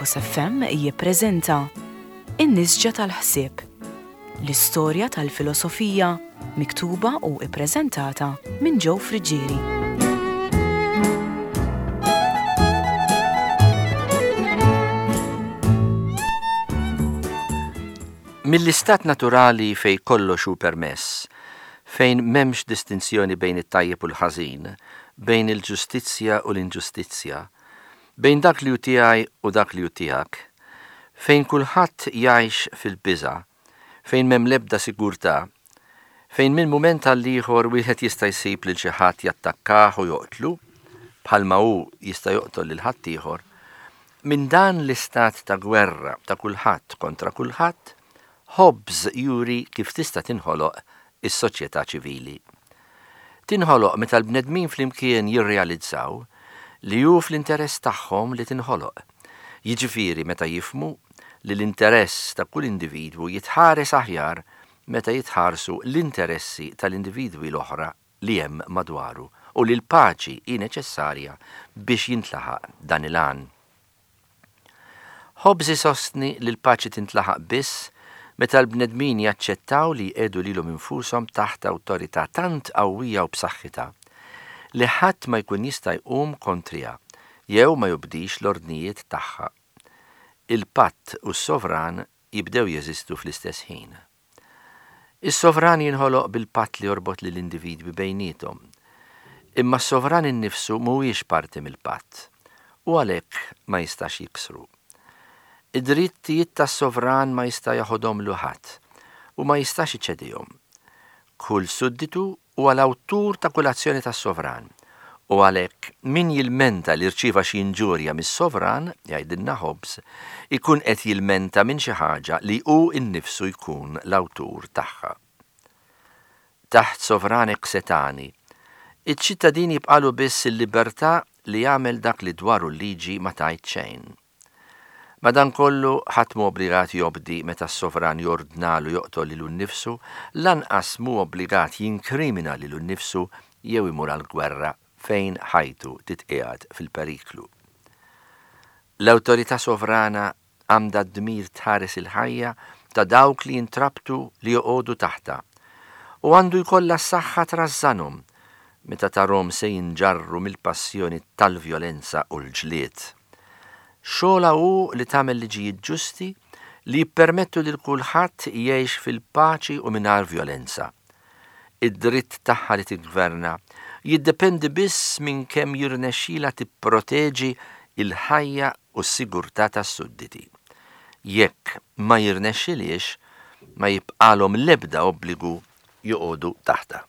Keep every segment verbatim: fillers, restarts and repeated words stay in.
Lighthouse F M jippreżenta In-Nisġa tal-Ħsieb, l-istorja tal-filosofija miktuba u ippreżentata minn Joe Friggieri. Mill-istat naturali fej kollox hu permess, fejn m'hemmx distinzjoni bejn it-tajjeb u l-ħażin, bejn il-ġustizzja u l-inġustizzja, bejn dak li hu tiegħi u dak li hu tiegħek, fejn kulħadd jgħix fil-biża', fejn m'hemm l-ebda sigurtà, fejn minn mument għal ieħor wieħed jista' jsib lil xi ħadd jattakkah u joqtlu, bħalma hu jista' joqtol lil ħaddieħor, minn dan l-istat ta' gwerra ta' kulħadd kontra kulħadd, Hobbes juri kif tista' tinħoloq is-soċjetà ċivili. Tinħoloq meta l-bnedmin flimkien jirrealizzaw li hu fl-interess tagħhom li tinħoloq. Jiġifieri meta jifhmu li l-interess ta' kull individwu jitħares aħjar meta jitħarsu l-interessi tal-individwi l-oħra li hemm madwaru u li l-paċi hi neċessarja biex jintlaħaq dan il-għan. Hobbes isostni li l-paċi tintlaħaq biss meta l-bnedmin jaċċettaw li jqiegħdu lilhom infushom taħt awtorità tant qawwija u b'saħħitha li ħadd ma jkun jista' jqum kontriha jew ma jobdix l-ordnijiet tagħha. Il-patt u s-sovran jibdew jeżistu fl-istess ħin. Is-sovran jinħoloq bil-patt li jorbot lill-individwi bejniethom. Imma s-sovran innifsu mhuwiex parti mill-patt u għalhekk ma jistax jiksru. Id-drittijiet tas-sovran ma jista' jaħodhomlu ħadd u ma jistax iċedihom. Kull sudditu huwa l-awtur ta' kull azzjoni tas-sovran u għalhekk min jilmenta li rċieva xi inġurja mis-sovran, jgħidilna Hobbes, ikun qed jilmenta minn xi ħaġa li hu nnifsu jkun l-awtur tagħha. Taħt sovran hekk setgħani, iċ-ċittadin jibqalu biss il-libertà li jagħmel dak li dwaru l-liġi ma tgħid xejn. Madankollu ħadd mhu obbligat jobdi meta s-sovran jordnalu joqtol lilu nnifsu, lanqas mhu obbligat jinkrimina lilu nnifsu jew imur għall-gwerra fejn ħajtu titqiegħed fil-periklu. L-awtorità sovrana għandha d-dmir tħares il-ħajja ta' dawk li jintrabtu li joqogħdu taħta u għandu jkollha s-saħħa trażżanhom meta tarahom se jinġarru mill-passjoni tal-vjolenza u l-ġlied. Xogħolha hu li tagħmel liġijiet ġusti li jippermettu lil kulħadd jgħix fil-paċi u mingħajr vjolenza. Id-dritt tagħha li tiggverna jiddependi biss minn kemm jirnexxila tipproteġi il-ħajja u s-sigurtà tas-sudditi. Jekk ma jirnexxiliex, ma jibqalhom l-ebda obbligu joqogħdu taħta.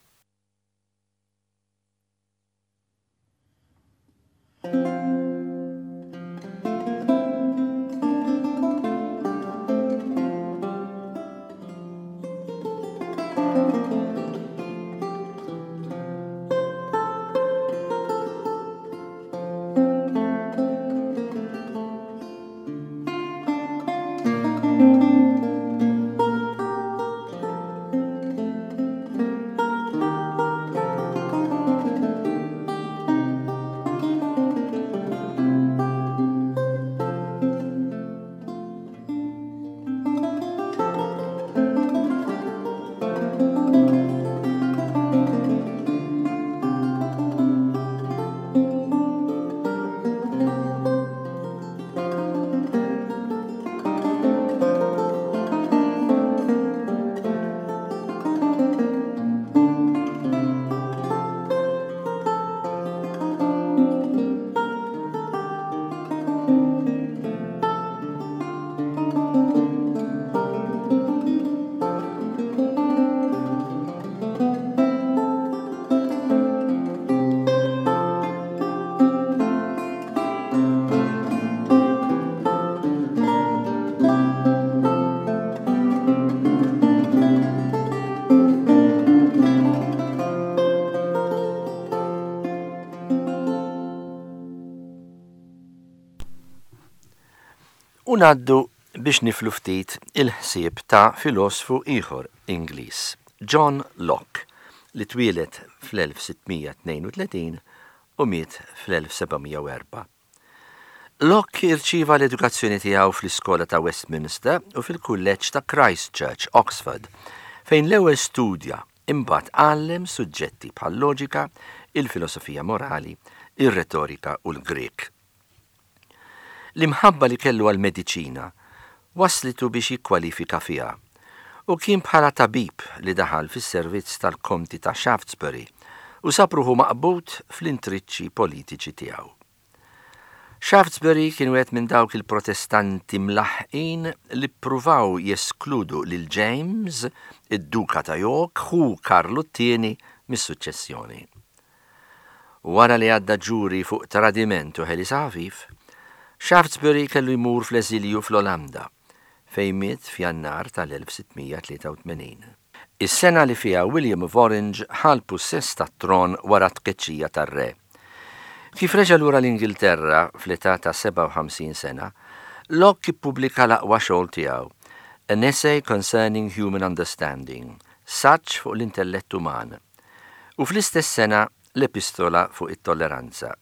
U ngħaddu biex niflu ftit il-ħsieb ta' filosfu ieħor Ingliż, John Locke, li twieled fl-elf sitt mija tnejn u tletin u miet fl-elf seba' mija u erbgħa. Locke irċieva l-edukazzjoni tiegħu fl-iskola ta' Westminster u fil-kulleġġ ta' Christ Church, Oxford, fejn l-ewwel studja imbagħad għallem suġġetti bħal loġika, il-filosofija morali, ir-retorika u l-Grek. L-imħabba li kellu għal-mediċina waslitu biex jikkwalifika fiha u kien bħala tabib li daħal fis-servizz tal-Konti ta' Shaftesbury u sab ruħu maqbud fl-intriċċi politiċi tiegħu. Shaftesbury kien wieħed minn dawk il-protestanti mlaħqin li ppruvaw jeskludu lil James, id-Duka ta' York, ħu Karlu t-tieni mis-suċċessjoni. Wara li għadda ġuri fuq tradiment u ħelis ħafif, Shaftesbury kellu jmur fl-eżilju fl-Olanda, fejn miet f'Jannar tal-elf sitt mija tlieta u tmenin. Is-sena li fiha William of Orange ħa l-pussess tat-tron wara t-tkeċċija tar-re. Kif reġa' lura l-Ingilterra fl-età ta' sebgħa u ħamsin sena, Locke ippubblika l-aqwa xogħol tiegħu, An Essay Concerning Human Understanding, saġġ fuq l-intellett uman, u fl-istess sena l-Epistola fuq it-Tolleranza.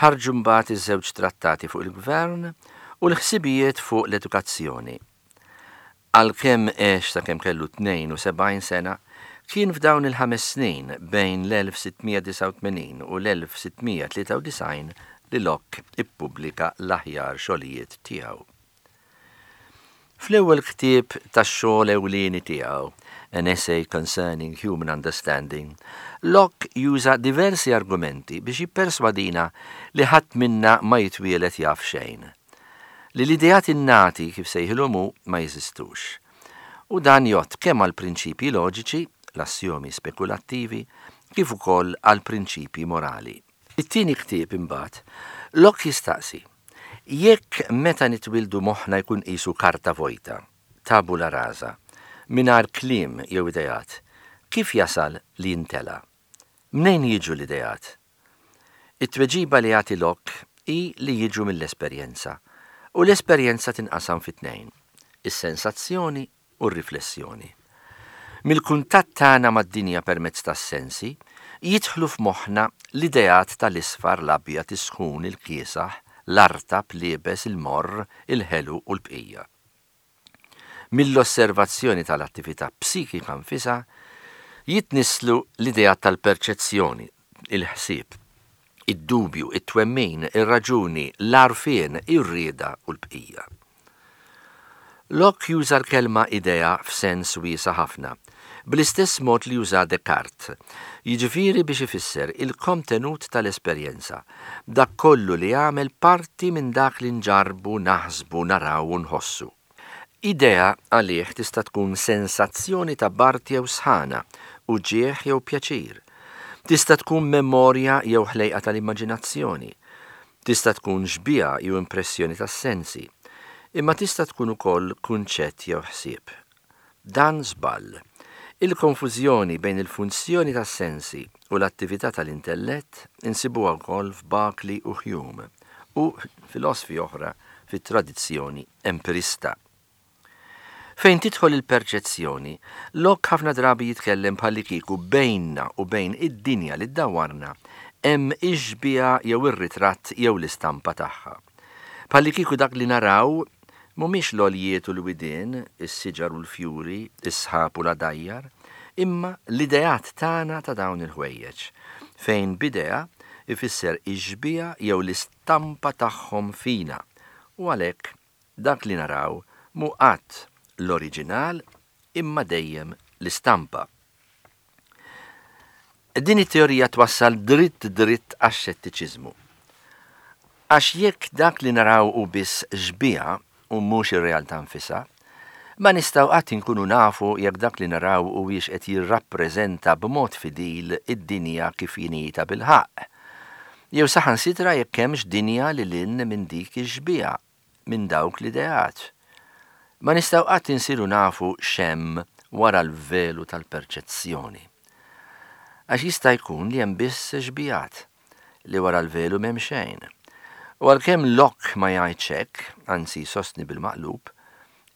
Ħarġu mbagħad iż-żewġ trattati fuq il-gvern u l-ħsibijiet fuq l-edukazzjoni. Għalkemm għex sakemm kellu tnejn u sebgħin sena, kien f'dawn il-ħames snin bejn l-elf sitt mija disgħa u tmenin u l-elf sitt mija tlieta u disgħin li Locke ippubblika l-aħjar xogħlijiet tiegħu. Fl-ewwel ktieb tax-xogħol ewlieni tiegħu, An Essay Concerning Human Understanding, Locke juża diversi argumenti biex jipperswadina li ħadd minna ma jitwielet jaf xejn. Li l-ideat innati kif sejħilhom hu ma jeżistux. U dan jgħodd kemm għal prinċipji loġiċi, l-assjomi spekulattivi, kif ukoll għal prinċipji morali. It-tieni ktieb imbagħad, Locke jistaqsi, jekk meta nitwildu moħħna jkun qisu karta vojta, tabula rasa, mingħajr kliem jew ideat, kif jasal li jintela? Mnejn jiġu l-ideat? It-tweġiba li jagħti Locke hi li jiġu mill-esperjenza, u l-esperjenza tinqasam fi tnejn, is-sensazzjoni u r-riflessjoni. Mill-kuntatt tagħna mad-dinja permezz tas-sensi, jidħlu f'moħħna l-ideat tal-isfar, l-abjad, is-sħun, il-kiesaħ, l-artab, l-iebes, il-morr, il-ħelu u l-bqija. Mill-osservazzjoni tal-attività psikika nfisha jitnisslu l-ideat tal-perċezzjoni, il-ħsieb, id-dubju, it-twemmin, ir-raġuni, l-għarfien, ir-rieda u l-bqija. Locke juża l-kelma idea f'sens wiesa' ħafna, bl-istess mod li juża Descartes, jiġifieri biex ifisser il-kontenut tal-esperjenza, dak kollu li jagħmel parti minn dak li nġarbu, naħsbu, naraw u nħossu. Idea għalih tista' tkun sensazzjoni ta' bard jew sħana, uġigħ jew pjaċir. Tista' tkun memorja jew ħlejqa tal-immaġinazzjoni. Tista' tkun xbieha jew impressjoni tas-sensi. Imma tista' tkun ukoll kunċett jew ħsieb. Dan żball. Il-konfużjoni bejn il-funzjoni tas-sensi u l-attività tal-intellett insibuha wkoll f'Berkeley u Hume u filosfi oħra fit-tradizzjoni empirista. Fejn tidħol il-perċezzjoni, Locke ħafna drabi jitkellem bħallikieku bejnna u bejn id-dinja li ddawarna hemm ix-xbieha jew ir-ritratt jew l-istampa tagħha. Bħallikieku dak li naraw mhumiex l-għoljiet u l-widien, is-siġar u l-fjuri, is-sħab u l-għadajjar, imma l-ideat tagħna ta' dawn il-ħwejjeġ, fejn b'idea ifisser ix-xbieha jew l-istampa tagħhom fina, u għalhekk dak li naraw mhu qatt l-oriġinal imma dejjem l-istampa. Din it-teorija twassal dritt dritt għax-xettiċiżmu. Għax jekk dak li naraw hu biss xbieha u mhux ir-realtà nfisha, ma nistgħu qatt inkunu nafu jekk dak li naraw huwiex qed jirrappreżenta b'mod fidil id-dinja kif inhi tabilħaqq. Jew saħansitra jekk hemmx dinja lil hinn minn dik ix-xbieha, minn dawk l-ideat. Ma nistgħu qatt insiru nafu x'hemm wara l-velu tal-perċezzjoni. Għax jista' jkun li hemm biss xbihat li wara l-velu m'hemm xejn. U għalkemm Locke ma jgħidx hekk, anzi jsostni bil-maqlub,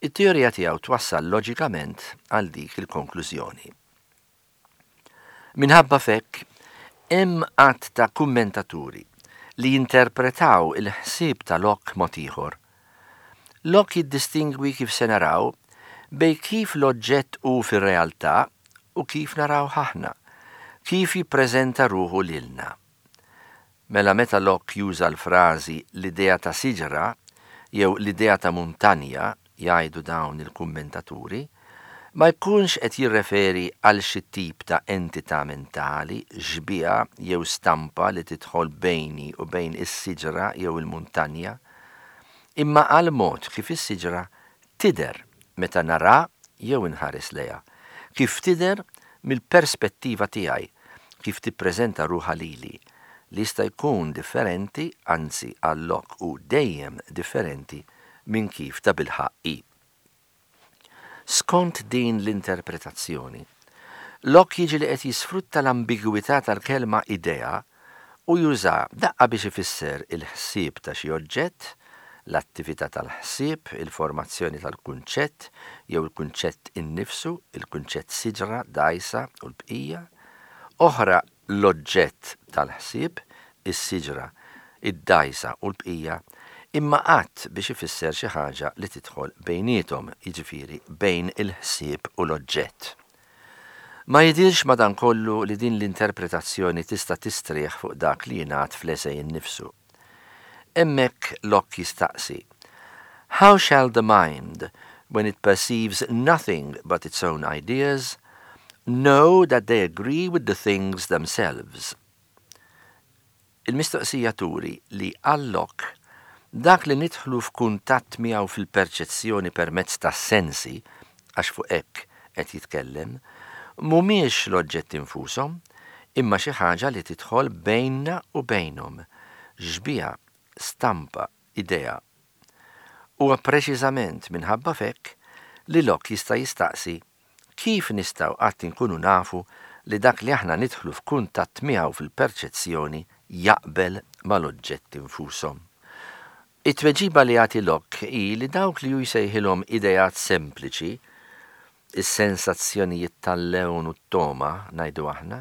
it-teorija tiegħu twassal loġikament għal dik il-konklużjoni. Minħabba f'hekk, hemm għadd ta' kummentaturi li jinterpretaw il-ħsieb ta' Locke mod ieħor. Locke jiddistingwi, kif se naraw, bejn kif l-oġġett hu fir-realtà u kif naraw aħna, kif jippreżenta ruħu lilna. Mela meta Locke juża l-frażi "l-idea ta' siġra" jew "l-idea ta' muntanja", jgħidu dawn il-kummentaturi, ma jkunx qed jirreferi għal xi tip ta' entità mentali, xbieha jew stampa li tidħol bejni u bejn is-siġra jew il-muntanja, imma għal mod kif is-siġra tidher meta nara jew inħares lejha, kif tidher mill-perspettiva tiegħi, kif tippreżenta ruħha lili, li jista' jkun differenti, anzi għal Locke hu dejjem differenti minn kif ta' bilħaqq hi. Skont din l-interpretazzjoni, Locke jiġi li qed jisfrutta l-ambigwità tal-kelma "idea" u juża daqqa biex ifisser il-ħsieb ta' xi oġġett, l-attività tal-ħsieb, il-formazzjoni tal-kunċett jew il-kunċett innifsu, il-kunċett siġra, dgħajsa u l-bqija, oħra l-oġġett tal-ħsieb, is-siġra, id-dgħajsa u l-bqija, imma qatt biex ifisser xi ħaġa li tidħol bejniethom, jiġifieri bejn il-ħsieb u l-oġġett. Ma jidirx madankollu li din l-interpretazzjoni tista' tistrieħ fuq dak li jingħad fl-esej innifsu. Hemmhekk Locke jistaqsi: "How shall the mind, when it perceives nothing but its own ideas, know that they agree with the things themselves?" Il-mistoqsija turi li għal Locke dak li nidħlu f'kuntatt miegħu fil-perċezzjoni permezz tas-sensi, għax fuq hekk qed jitkellem, mhumiex l-oġġetti infushom, imma xi ħaġa li tidħol bejnna u bejnhom, xbieha, stampa, idea. Huwa preċiżament minħabba f'hekk li Locke jista' jistaqsi kif nistgħu qatt inkunu nafu li dak li aħna nidħlu f'kuntatt miegħu fil-perċezzjoni jaqbel mal-oġġetti infushom. It-tweġiba li jagħti Locke hi li dawk li hu jsejħilhom ideat sempliċi, is-sensazzjonijiet tal-lewn u t-togħma, ngħidu aħna,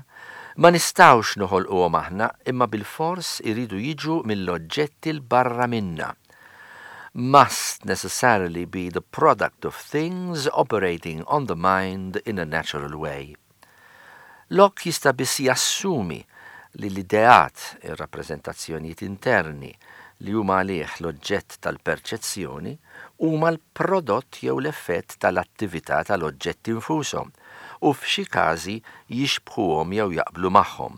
ma nistgħux noħolquhom aħna, imma bil-fors iridu jiġu mill-oġġetti 'l barra minna. Must necessarily be the product of things operating on the mind in a natural way. Locke jista' biss jassumi li l-ideat, ir-rappreżentazzjonijiet interni, li huma għalih l-oġġett tal-perċezzjoni, huma l-prodott jew l-effett tal-attività tal-oġġetti infushom u f'xi każi jixbħuhom jew jaqblu magħhom.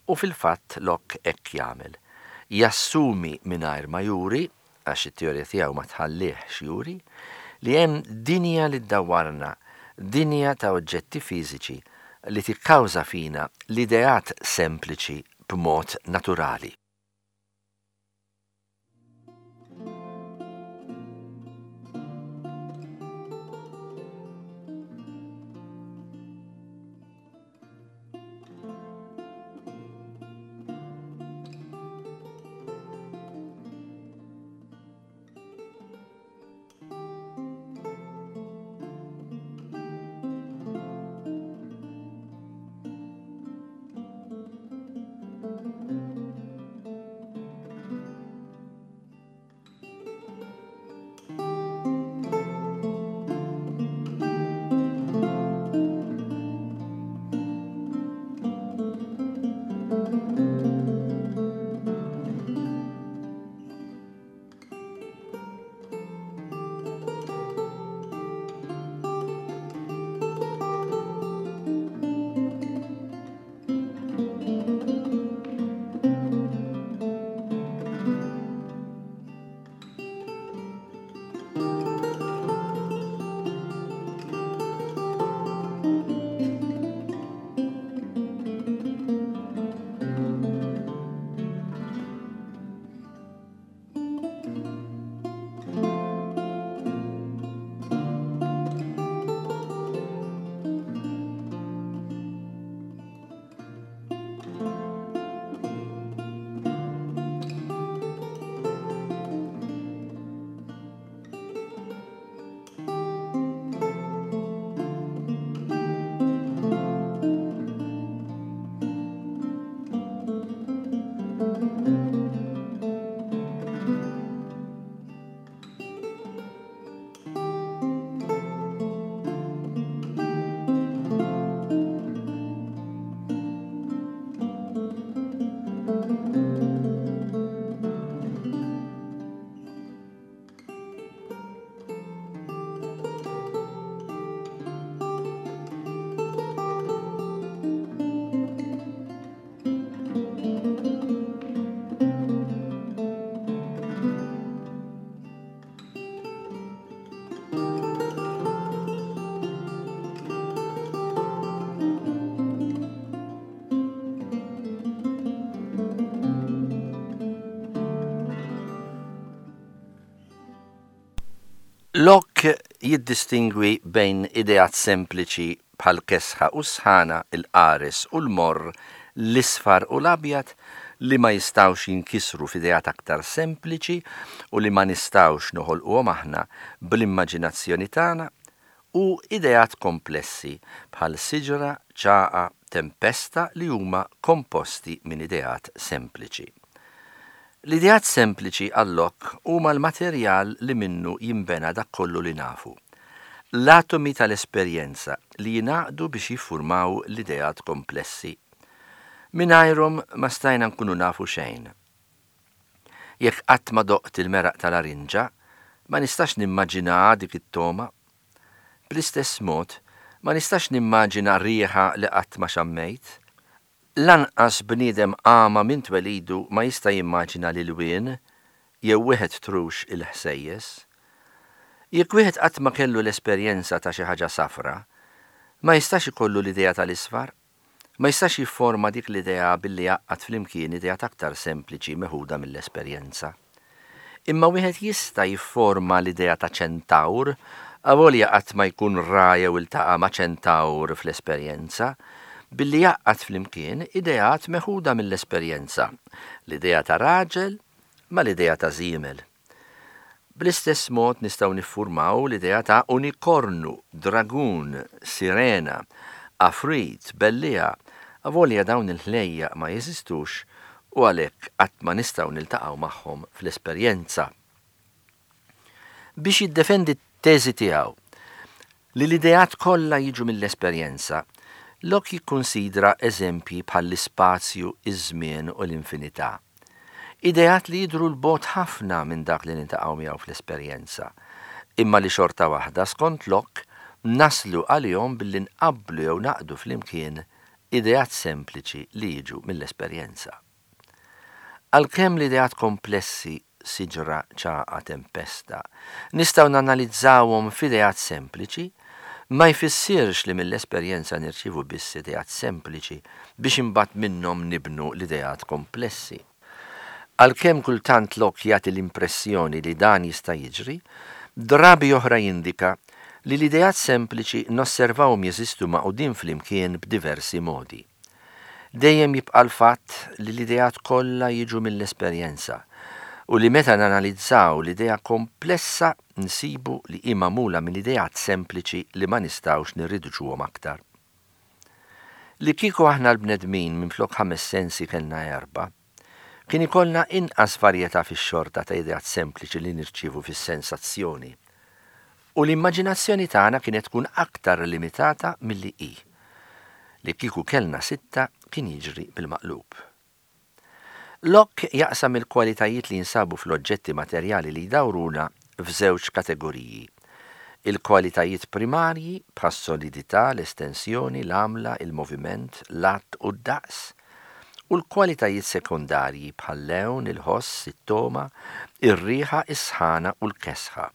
U fil-fatt Locke hekk jagħmel. Jassumi mingħajr ma juri, għax it-teorija tiegħu ma tħallihx juri, li hemm dinja li ddawwarna, dinja ta' oġġetti fiżiċi li tikkawża fina l-ideat sempliċi b'mod naturali. Locke jiddistingwi bejn ideat sempliċi bħal kesħa u sħana, il-qares u l-morr, l-isfar u l-abjad li ma jistawx jinkisru f'ideat aktar sempliċi u li ma nistawx noħolquhom aħna bl-immaġinazzjoni tagħna, u ideat komplessi bħal siġra, ċagħqa, tempesta li huma komposti minn ideat sempliċi. L-ideat sempliċi għal Locke huma l-materjal li minnu jimbena dak kollu li nafu. L-atomi tal-esperjenza li jingħaqdu biex jiffurmaw l-ideat komplessi. Mingħajrhom ma stajna nkunu nafu xejn. Jekk qatt ma doqt il-meraq tal-arinġa, ma nistax nimmaġina dik it-togħma. Bl-istess mod, ma nistax nimmaġina riħa li qatt ma xammejt. Lanqas bniedem għama minn twelidu ma jista' jimmaġina l-ilwien jew wieħed trux il-ħsejjes. Jekk wieħed qatt ma kellu l-esperjenza ta' xi ħaġa safra, ma jistax ikollu l-idea tal-isfar, ma jistax jifforma dik l-idea billi jgħaqqad flimkien idea aktar sempliċi meħuda mill-esperjenza. Imma wieħed jista' jifforma l-idea ta' ċentawr, avolja qatt ma jkun ra jew iltaqa' ma' ċentawr fl-esperjenza, billi jgħaqqad flimkien ideat meħuda mill-esperjenza, l-idea ta' raġel ma l-idea ta' żiemel. Bl-istess mod nistgħu niffurmaw l-idea ta' unikornu, dragun, sirena, afrit, belliegħa, avolja dawn il-ħlejjaq ma jeżistux u għalhekk qatt ma nistgħu niltaqgħu magħhom fl-esperjenza. Biex jiddefendi t-teżi tiegħu li l-ideat kollha jiġu mill-esperjenza, Locke jikkonsidra eżempji bħall-ispazju, iż-żmien u l-infinità. Ideat li jidhru 'l bogħod ħafna minn dak li niltaqgħu miegħu fl-esperjenza, imma li xorta waħda skont Locke naslu għalihom billi nqabblu jew naqdu flimkien ideat sempliċi li jiġu mill-esperjenza. Għalkemm l-ideat komplessi, siġra, ċagħqa, tempesta, nistgħu nanalizzawhom f'ideat sempliċi, ma jfissirx li mill-esperjenza nirċievu biss ideat sempliċi biex imbagħad minnhom nibnu l-ideat komplessi. Għalkemm kultant Locke jagħti l-impressjoni li dan jista' jiġri, drabi oħra jindika li l-ideat sempliċi nosservawhom jeżistu magħqudin flimkien b'diversi modi. Dejjem jibqa' l-fatt li l-ideat kollha jiġu mill-esperjenza u li meta nanalizzaw l-idea komplessa nsibu li hi magħmula minn ideat sempliċi li ma nistgħux nirriduċuhom aktar. Li kieku aħna l-bnedmin minflok ħames sensi kellna erba', kien ikollna inqas varjetà fix-xorta ta' ideat sempliċi li nirċievu fis-sensazzjoni. U l-immaġinazzjoni tagħna kienet tkun aktar limitata milli hi. Li kieku kellna sitta kien jiġri bil-maqlub. Locke jaqsam il-kwalitajiet li jinsabu fl-oġġetti materjali li jdawruna f'żewġ kategoriji. Il-kwalitajiet primarji bħas-solidità, l-estensjoni, l-għamla, il-moviment, l-għadd u d-daqs, u l-kwalitajiet sekondarji bħal-lewn, il-ħoss, it-togħma, ir-riħa, is-sħana u l-kesħa.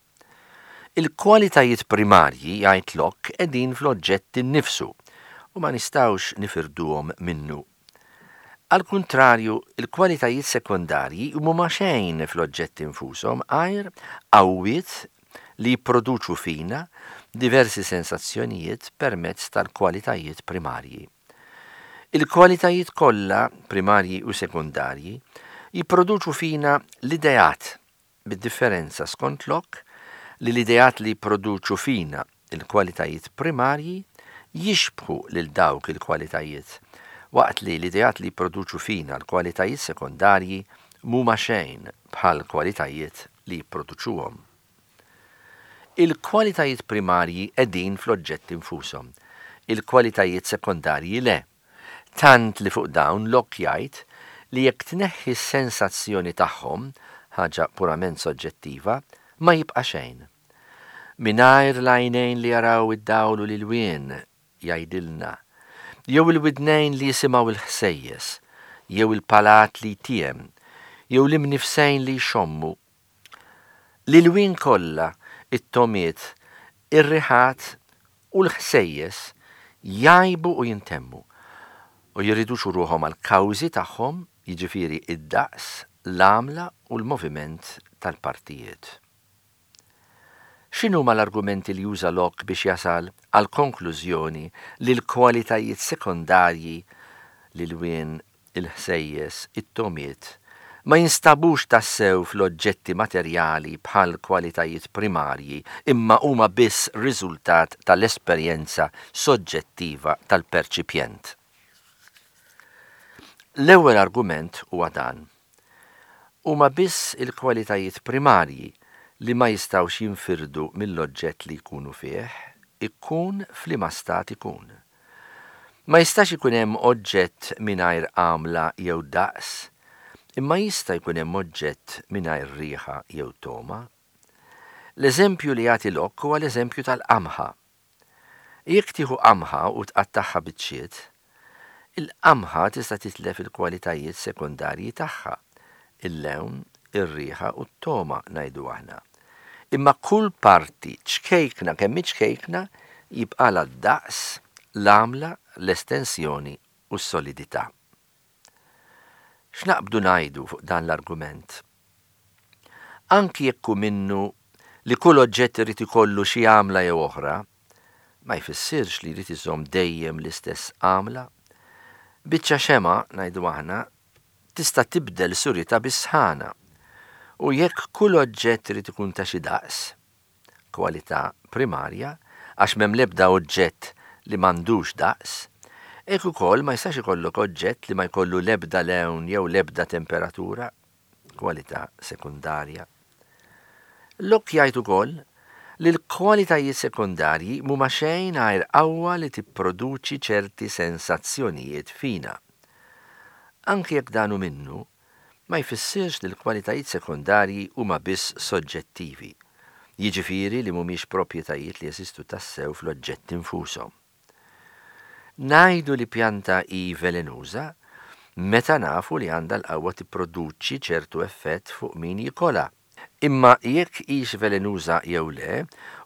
Il-kwalitajiet primarji, jgħid Locke, qegħdin fl-oġġett innifsu u ma nistgħux nifirduhom minnu. Al kuntrarju, il-kwalitajiet sekondarji mhuma xejn fl-oġġetti infushom għajr qawwiet li jipproduċu fina diversi sensazzjonijiet permezz tal-kwalitajiet primarji. Il-kwalitajiet kollha, primarji u sekondarji, jipproduċu fina l-ideat, bid-differenza skont Locke li l-ideat li jipproduċu fina il-kwalitajiet primarji jixbħu lil dawk il-kwalitajiet, waqt li l-ideat li jipproduċu fina l-kwalitajiet sekondarji mhuma xejn bħal kwalitajiet li jipproduċuhom. Il-kwalitajiet primarji qegħdin fl-oġġetti infushom, il-kwalitajiet sekondarji le. Tant li fuq dawn Locke jgħid li jekk tneħħi s-sensazzjoni tagħhom, ħaġa purament soġġettiva, ma jibqa' xejn. Mingħajr l-għajnejn li jaraw id-dawl u l-ilwien, jgħidilna, jew il-widnejn li jisimgħu il-ħsejjes, jew il-palat li jtiem, jew l-imnifsejn li jxommu. L-ilwien kollha, it-togħmiet, ir-riħat u l-ħsejjes jgħibu u jintemmu u jirriduċu ruħhom għal kawżi tagħhom, jiġifieri id-daqs, l-għamla u l-moviment tal-partijiet. X'inhuma l-argumenti li juża Locke biex jasal għal konklużjoni li l-kwalitajiet sekondarji, l-ilwien, il-ħsejjes, it-togħmiet, ma jinstabux tassew fl-oġġetti materjali bħal kwalitajiet primarji imma huma biss riżultat tal-esperjenza soġġettiva tal-perċipjent? L-ewwel argument huwa dan. Huma biss il-kwalitajiet primarji li ma jistgħux jinfirdu mill-oġġett li jkunu fih, ikun f'liema stat ikun. Ma jistax ikun hemm oġġett mingħajr għamla jew daqs, imma jista' jkun hemm oġġett mingħajr riħa jew togħma. L-eżempju li jagħti Locke huwa l-eżempju tal-qamħa. Jekk tieħu qamħa u tqattagħha biċċiet, il-qamħa tista' titlef il-kwalitajiet sekondarji tagħha, il-lewn, ir-riħa u t-togħma ngħidu aħna. Imma kull parti ċkejkna kemm ċkejkna jibqalha d-daqs, l-għamla, l-estensjoni u s-solidità. X'naqbdu ngħidu fuq dan l-argument? Anki jekk hu minnu li kull oġġett irid ikollu xi għamla jew oħra, ma jfissirx li jrid iżomm dejjem l-istess għamla. Biċċa xema, ngħidu aħna, tista' tibdel suritha bis-sħana. U jekk kull oġġett irid ikun ta' xi daqs, kwalità primarja, għax m'hemm l-ebda oġġett li m'għandux daqs, hekk ukoll ma jistax ikollok oġġett li ma jkollu l-ebda lewn jew l-ebda temperatura, kwalità sekundarja. Locke jgħid ukoll li l-kwalitajiet sekundarji mhuma xejn għajr qawwa li tipproduċi ċerti sensazzjonijiet fina. Anki jekk dan hu minnu, ma jfissirx li l-kwalitajiet sekundarji huma biss soġġettivi, jiġifieri li mhumiex proprjetajiet li jeżistu tassew fl-oġġetti nfushom. Ngħidu li pjanta hi velenuża meta nafu li għandha l-qawwa tipproduċi ċertu effett fuq min jikolha. Imma jekk hix velenuża jew le,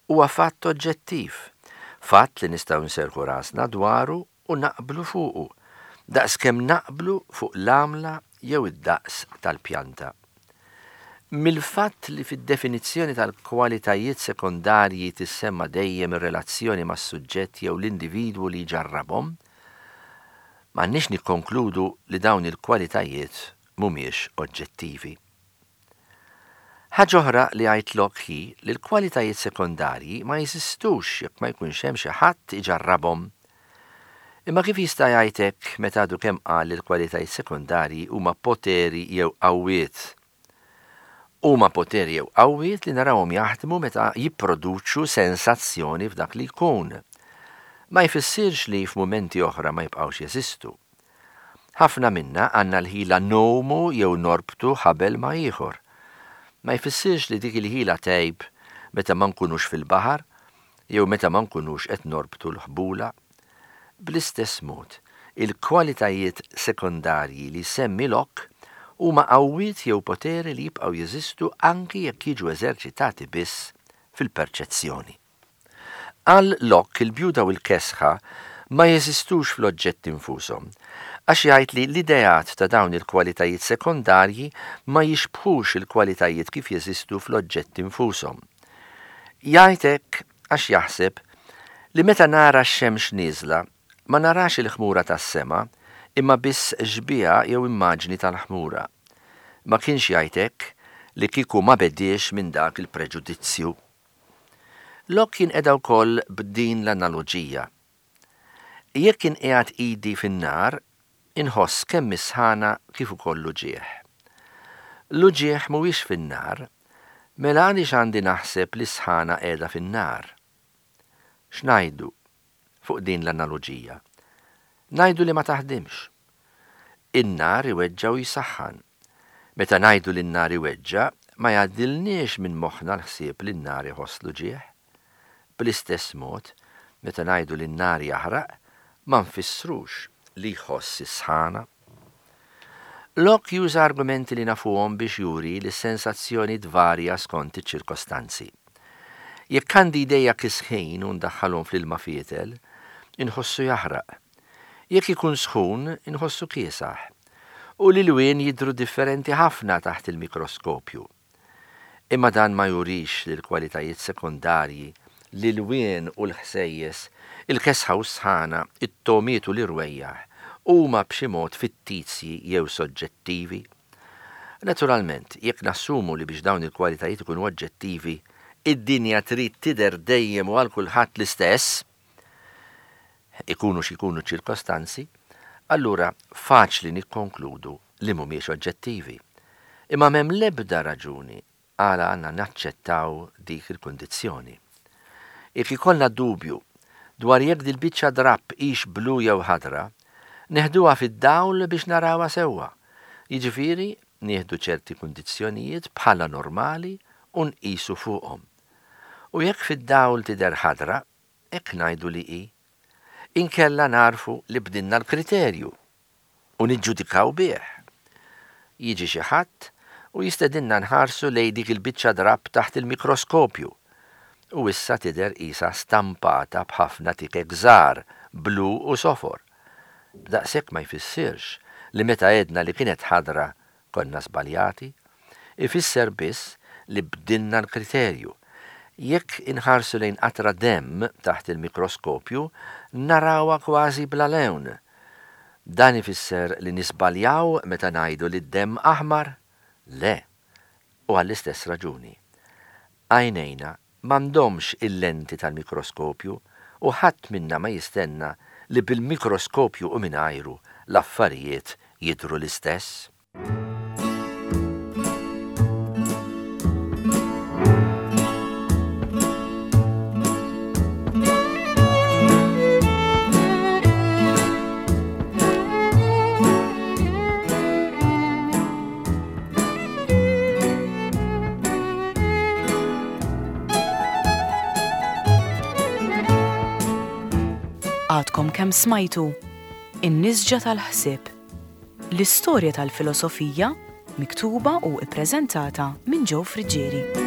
huwa fatt oġġettiv, fatt li nistgħu nserrħu rasna dwaru u naqblu fuqu, daqskemm naqblu fuq l-għamla jew id-daqs tal-pjanta. Mill-fatt li fid-definizzjoni tal-kwalitajiet sekondarji tissemma dejjem ir-relazzjoni mas-suġġett jew l-individwu li jġarrabhom, m'għandniex nikkonkludu li dawn il-kwalitajiet mhumiex oġġettivi. Ħaġa oħra li jgħid Locke hi li l-kwalitajiet sekondarji ma jeżistux jekk ma jkunx hemm xi ħadd iġarrabhom. Imma kif jista' jgħid hekk meta għadu kemm qal li l-kwalitajiet sekondarji huma poteri jew qawwiet? Huma poteri jew qawwiet li narawhom jaħdmu meta jipproduċu sensazzjoni f'dak li jkun. Ma jfissirx li f'mumenti oħra ma jibqgħux jeżistu. Ħafna minna għandna l-ħila ngħumu jew norbtu ħabel ma' ieħor. Ma jfissirx li dik il-ħila tgħib meta ma nkunux fil-baħar jew meta ma nkunux qed norbtu l-ħbula. Bl-istess mod, il-kwalitajiet sekondarji li semmi Locke huma qawwiet jew poteri li jibqgħu jeżistu anki jekk jiġu eżerċitati biss fil-perċezzjoni. Għal Locke il-bjuda u l-kesħa ma jeżistux fl-oġġetti nfushom, għax jgħid li l-ideat ta' dawn il-kwalitajiet sekondarji ma jixbħux il-kwalitajiet kif jeżistu fl-oġġetti nfushom. Jgħid hekk għax jaħseb li meta nara x-xemx nieżla ma narax il-ħmura tas-sema imma biss xbieha jew immaġni tal-ħmura. Ma kienx jgħid hekk li kieku ma bediex minn dak il-preġudizzju. Locke jinqeda wkoll b'din l-analoġija. Jekk inqiegħed idi fin-nar, inħoss kemm is-sħana kif ukoll l-uġigħ. L-uġigħ mhuwiex fin-nar, mela għaliex għandi naħseb li s-sħana qiegħda fin-nar? X'ngħidu fuq din l-analoġija? Ngħidu li ma taħdimx. In-nar iweġġa' u jsaħħan. Meta ngħidu li n-nar iweġġa', ma jgħaddilniex minn moħħna l-ħsieb li n-nar iħoss l-uġigħ. Bl-istess mod, meta ngħidu li n-nar jaħraq, ma nfissrux li jħoss is-sħana. Locke juża argumenti li nafuhom biex juri li s-sensazzjoni tvarja skont iċ-ċirkostanzi. Jekk għandi idejja kisħin u ndaħħalhom fl-ilma fietel, inħossu jaħraq. Jekk ikun sħun, inħossu kiesaħ. U l-ilwien jidhru differenti ħafna taħt il-mikroskopju. Imma dan ma jurix li l-kwalitajiet sekondarji, l-ilwien u l-ħsejjes, il-kesħa u s-sħana, it-togħmiet u l-irwejjaħ, huma b'xi mod fittizji jew soġġettivi. Naturalment, jekk nassumu li biex dawn il-kwalitajiet ikunu oġġettivi, id-dinja trid tidher dejjem u għal kulħadd l-istess, ikunu x'ikunu ċirkostanzi, allura faċli nikkonkludu li mhumiex oġġettivi. Imma m'hemm l-ebda raġuni għala għandna naċċettaw dik il-kundizzjoni. Jekk ikollna dubju dwar jekk dil-biċċa drapp hix blu jew ħadra, neħduha fid-dawl biex narawha sewwa. Jiġifieri nieħdu ċerti kundizzjonijiet bħala normali u nqisu fuqhom. U jekk fid-dawl tidher ħadra, hekk ngħidu li hi. Inkella narfu li bdilna l-kriterju u niġġudikaw bih. Jiġi xi ħadd u jistedinna nħarsu lejn dik il-biċċa drapp taħt il-mikroskopju. U issa tidher qisha stampata b'ħafna tikek żgħar, blu u sofor. B'daqshekk ma jfissirx li meta għedna li kienet ħadra konna żbaljati, ifisser biss li bdilna l-kriterju. Jekk inħarsu lejn qatra demm taħt il-mikroskopju, narawha kważi bla lewn. Dan ifisser li nisbaljaw meta ngħidu li d-demm aħmar? Le, u għall-istess raġuni. Għajnejna m'għandhomx il-lenti tal-mikroskopju u ħadd minna ma jistenna li bil-mikroskopju u mingħajru l-affarijiet jidhru l-istess. Għadkom kemm smajtu In-Nisġa tal-Ħsieb, l-istorja tal-filosofija miktuba u ippreżentata minn Joe Friggieri.